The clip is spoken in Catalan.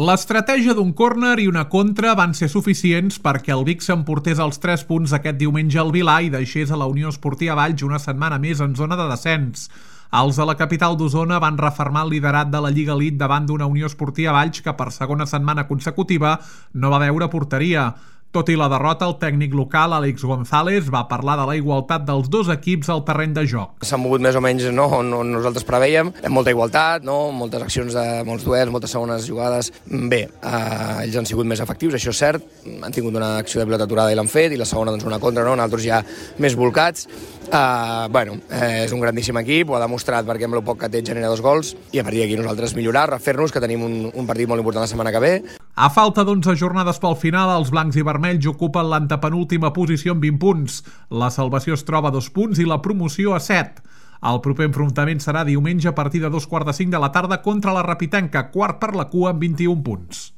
L'estratègia d'un córner i una contra van ser suficients perquè el Vic s'emportés els 3 punts aquest diumenge al Vilar i deixés a la Unió Esportiva Valls una setmana més en zona de descens. Els de la capital d'Osona van refermar el liderat de la Lliga Elite davant d'una Unió Esportiva Valls que per segona setmana consecutiva no va veure porteria. Tot i la derrota, el tècnic local, Àlex González, va parlar de la igualtat dels dos equips al terreny de joc. S'han mogut més o menys on nosaltres preveiem, amb molta igualtat, moltes accions de molts duels, moltes segones jugades. Bé, ells han sigut més efectius, això és cert, han tingut una acció de pilota aturada i l'han fet, i la segona una contra, nosaltres ja més volcats. És un grandíssim equip, ho ha demostrat perquè amb el poc que té genera 2 gols, i a partir d'aquí nosaltres millorar, refer-nos, que tenim un partit molt important la setmana que ve. A falta d'11 jornades pel final, els blancs i vermells ocupen l'antepenúltima posició amb 20 punts. La salvació es troba a 2 punts i la promoció a 7. El proper enfrontament serà diumenge a partir de 2:45 de la tarda contra la Rapitenca, quart per la cua amb 21 punts.